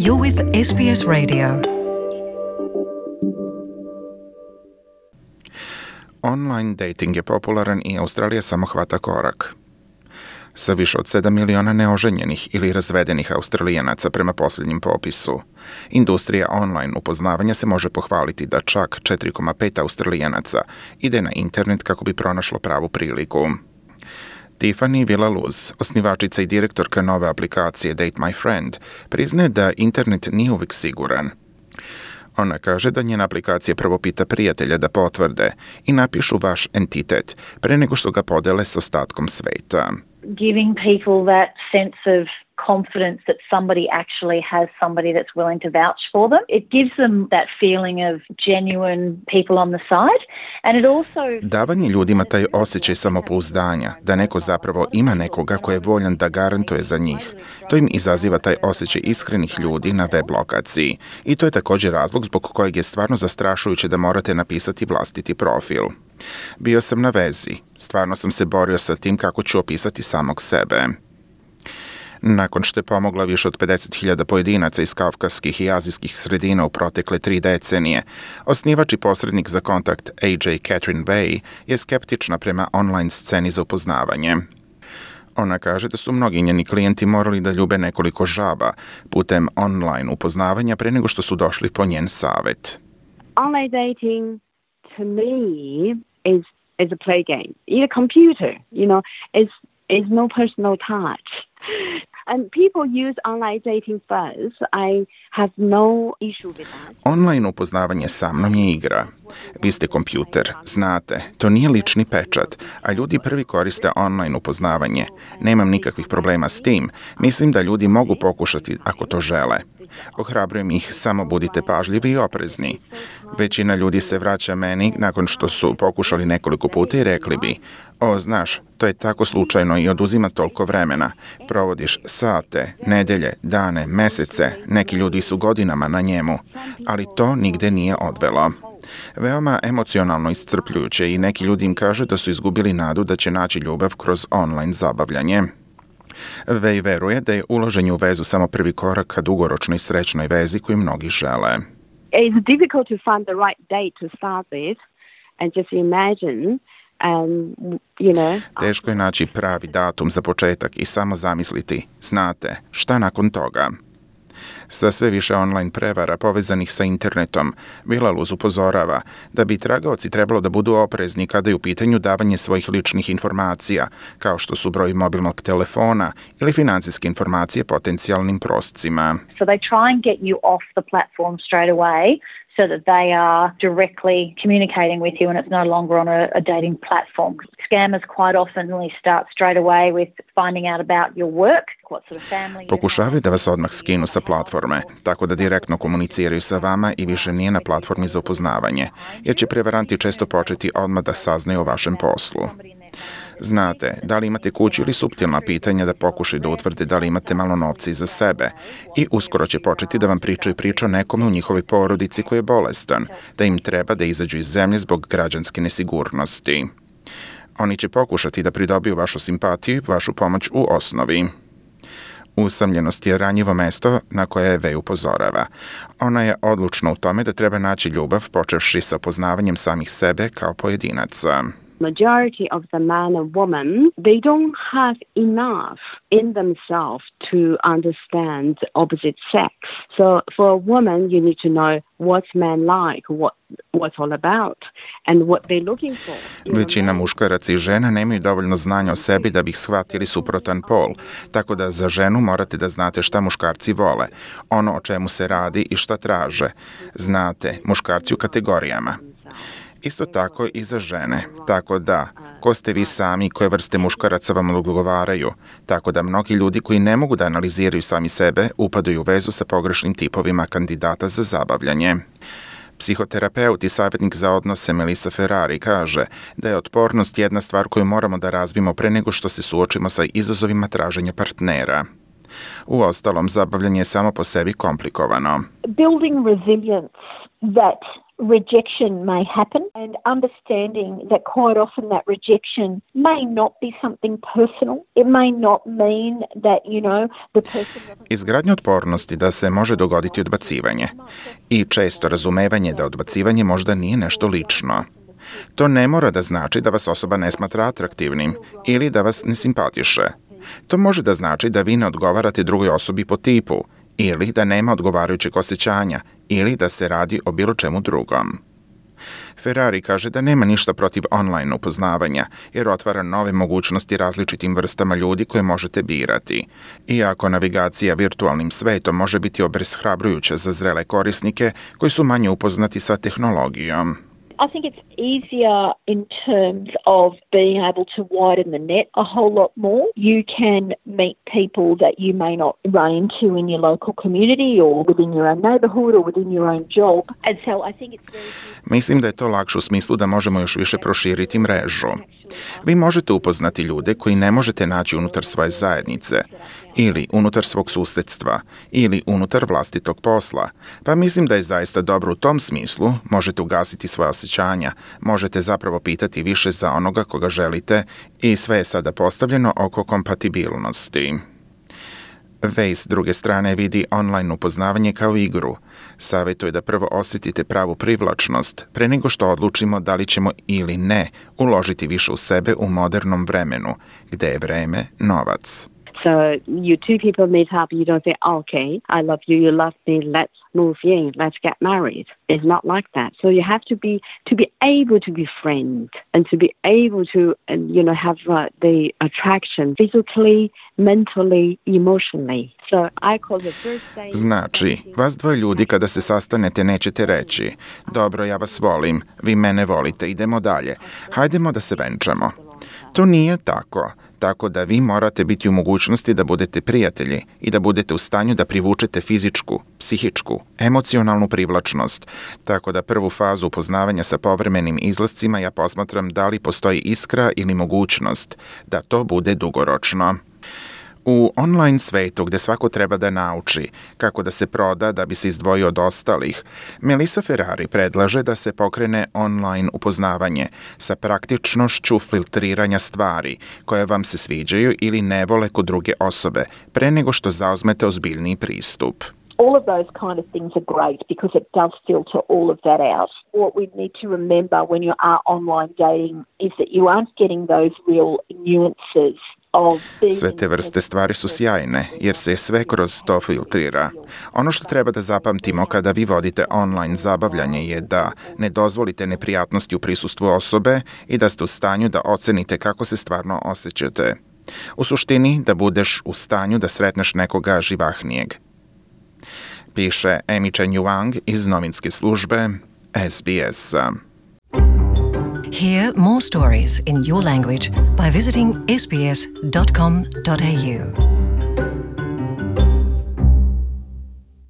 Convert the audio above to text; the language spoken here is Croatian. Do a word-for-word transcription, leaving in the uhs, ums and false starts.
You're with S B S Radio. Online dating je popularan i Australija samo hvata korak. Sa više od sedam miliona neoženjenih ili razvedenih Australijanaca prema posljednjem popisu, industrija online upoznavanja se može pohvaliti da čak četiri zarez pet Australijanaca ide na internet kako bi pronašlo pravu priliku. Tiffany Villaluz, osnivačica i direktorka nove aplikacije Date My Friend, priznaje da internet nije uvijek siguran. Ona kaže da njena aplikacija prvo pita prijatelja da potvrde i napišu vaš entitet pre nego što ga podele s ostatkom sveta. Giving people that sense of confidence that somebody actually has somebody that's willing to vouch for them. It gives them that feeling of genuine people on the side, and it also... Davanje ljudima taj osjećaj samopouzdanja, da neko zapravo ima nekoga ko je voljan da garantuje za njih. To im izaziva taj osjećaj iskrenih ljudi na web lokaciji. I to je također razlog zbog kojeg je stvarno zastrašujuće da morate napisati vlastiti profil. Bio sam na vezi. Stvarno sam se borio sa tim kako ću opisati samog sebe. Nakon što je pomogla više od pedeset hiljada pojedinaca iz kavkaskih i azijskih sredina u protekle tri decenije, osnivač i posrednik za kontakt A J Catherine Way je skeptična prema online sceni za upoznavanje. Ona kaže da su mnogi njeni klijenti morali da ljube nekoliko žaba putem online upoznavanja pre nego što su došli po njen savjet. Online dating to me is is a play game. In a computer, you know, is is no personal touch. And people use online dating first. I have no issue with that. Online upoznavanje sa mnom je igra. Vi ste kompjuter, znate, to nije lični pečat, a ljudi prvi koriste online upoznavanje. Nemam nikakvih problema s tim. Mislim da ljudi mogu pokušati ako to žele. Ohrabrujem ih, samo budite pažljivi i oprezni. Većina ljudi se vraća meni nakon što su pokušali nekoliko puta i rekli bi: o, znaš, to je tako slučajno i oduzima toliko vremena. Provodiš sate, nedelje, dane, mesece, neki ljudi su godinama na njemu, ali to nigde nije odvelo. Veoma emocionalno iscrpljujuće i neki ljudi im kažu da su izgubili nadu da će naći ljubav kroz online zabavljanje. Vej veruje da je ulaženje u vezu samo prvi korak ka dugoročnoj srećnoj vezi koju mnogi žele. It's difficult to find the right date to start with and just imagine and you know. Teško je naći pravi datum za početak i samo zamisliti, znate, šta nakon toga. Sa sve više online prevara povezanih sa internetom, Villaluz upozorava da bi tragaoci trebalo da budu oprezni kada je u pitanju davanje svojih ličnih informacija, kao što su broj mobilnog telefona ili financijske informacije potencijalnim proscima. So they try and get you off the platform straight away, so that they are directly communicating with you and it's no longer on a, a dating platform. Scammers quite oftenly start straight away with finding out about your work, what sort of family. Pokušavaju da vas odmah skinu sa platforme, tako da direktno komuniciraju sa vama i više nije na platformi za upoznavanje, jer će prevaranti često početi odmah da saznaju o vašem poslu. Znate, da li imate kuću ili suptilna pitanja da pokušaju da utvrde da li imate malo novca iza sebe i uskoro će početi da vam pričaju priču o nekome u njihovoj porodici koji je bolestan, da im treba da izađu iz zemlje zbog građanske nesigurnosti. Oni će pokušati da pridobiju vašu simpatiju i vašu pomoć u osnovi. Usamljenost je ranjivo mesto na koje Vej upozorava. Ona je odlučna u tome da treba naći ljubav počevši sa poznavanjem samih sebe kao pojedinaca. Majority of the man and woman, they don't have enough in themselves to understand opposite sex. So for a woman, you need to know what's man like, what what's all about, and what they're looking for. Većina muškaraca i žena nemaju dovoljno znanja o sebi da bi shvatili suprotan pol, tako da za ženu morate da znate šta muškarci vole, ono o čemu se radi i šta traže. Znate, muškarci u kategorijama. Isto tako i za žene, tako da, ko ste vi sami i koje vrste muškaraca vam odgovaraju, tako da mnogi ljudi koji ne mogu da analiziraju sami sebe upadaju u vezu sa pogrešnim tipovima kandidata za zabavljanje. Psihoterapeut i savjetnik za odnose Melissa Ferrari kaže da je otpornost jedna stvar koju moramo da razvijemo pre nego što se suočimo sa izazovima traženja partnera. Uostalom, zabavljanje je samo po sebi komplikovano. Building resilience that rejection may happen, and understanding that quite often that rejection may not be something personal. It may not mean that, you know, the person... Izgradnja otpornosti da se može dogoditi odbacivanje i često razumevanje da odbacivanje možda nije nešto lično. To ne mora da znači da vas osoba ne smatra atraktivnim ili da vas ne simpatiše. To može da znači da vi ne odgovarate drugoj osobi po tipu ili da nema odgovarajućeg osjećanja ili da se radi o bilo čemu drugom. Ferrari kaže da nema ništa protiv online upoznavanja, jer otvara nove mogućnosti različitim vrstama ljudi koje možete birati. Iako navigacija virtualnim svetom može biti obeshrabrujuća za zrele korisnike koji su manje upoznati sa tehnologijom. I think it's easier in terms of being able to widen the net a whole lot more. You can meet people that you may not run into in your local community or within your own neighbourhood or within your own job. And so I think it's very... Mislim da je to lakše u smislu da možemo još više proširiti mrežu. Vi možete upoznati ljude koji ne možete naći unutar svoje zajednice, ili unutar svog susedstva, ili unutar vlastitog posla. Pa mislim da je zaista dobro u tom smislu, možete ugasiti svoje osjećanja, možete zapravo pitati više za onoga koga želite i sve je sada postavljeno oko kompatibilnosti. Vej s druge strane vidi online upoznavanje kao igru. Savjetuje da prvo osjetite pravu privlačnost, pre nego što odlučimo da li ćemo ili ne uložiti više u sebe u modernom vremenu, gde je vreme novac. So you two people meet up, you don't say, oh, okay, I love you, you love me, let's move in, let's get married. It's not like that. So you have to be to be able to be friends and to be able to, and, you know, have uh, the attraction physically, mentally, emotionally. So I call the first day... Znači, vas dvoje ljudi kada se sastanete nećete reći, dobro, ja vas volim, vi mene volite, idemo dalje, hajdemo da se venčamo. To nije tako. Tako da vi morate biti u mogućnosti da budete prijatelji i da budete u stanju da privučete fizičku, psihičku, emocionalnu privlačnost. Tako da prvu fazu upoznavanja sa povremenim izlascima ja posmatram da li postoji iskra ili mogućnost da to bude dugoročno. U online svetu gde svako treba da nauči kako da se proda da bi se izdvojio od ostalih, Melissa Ferrari predlaže da se pokrene online upoznavanje sa praktičnošću filtriranja stvari koje vam se sviđaju ili ne vole kod druge osobe pre nego što zauzmete ozbiljniji pristup. All of those kind of things are great because it does filter all of that out. What we need to remember when you are online dating is that you aren't getting those real nuances. Sve te vrste stvari su sjajne, jer se sve kroz to filtrira. Ono što treba da zapamtimo kada vi vodite online zabavljanje je da ne dozvolite neprijatnosti u prisustvu osobe i da ste u stanju da ocenite kako se stvarno osjećate. U suštini, da budeš u stanju da sretneš nekoga živahnijeg. Piše Amy Chen Yuang iz novinske službe S B S-a. Hear more stories in your language by visiting s b s dot com dot a u.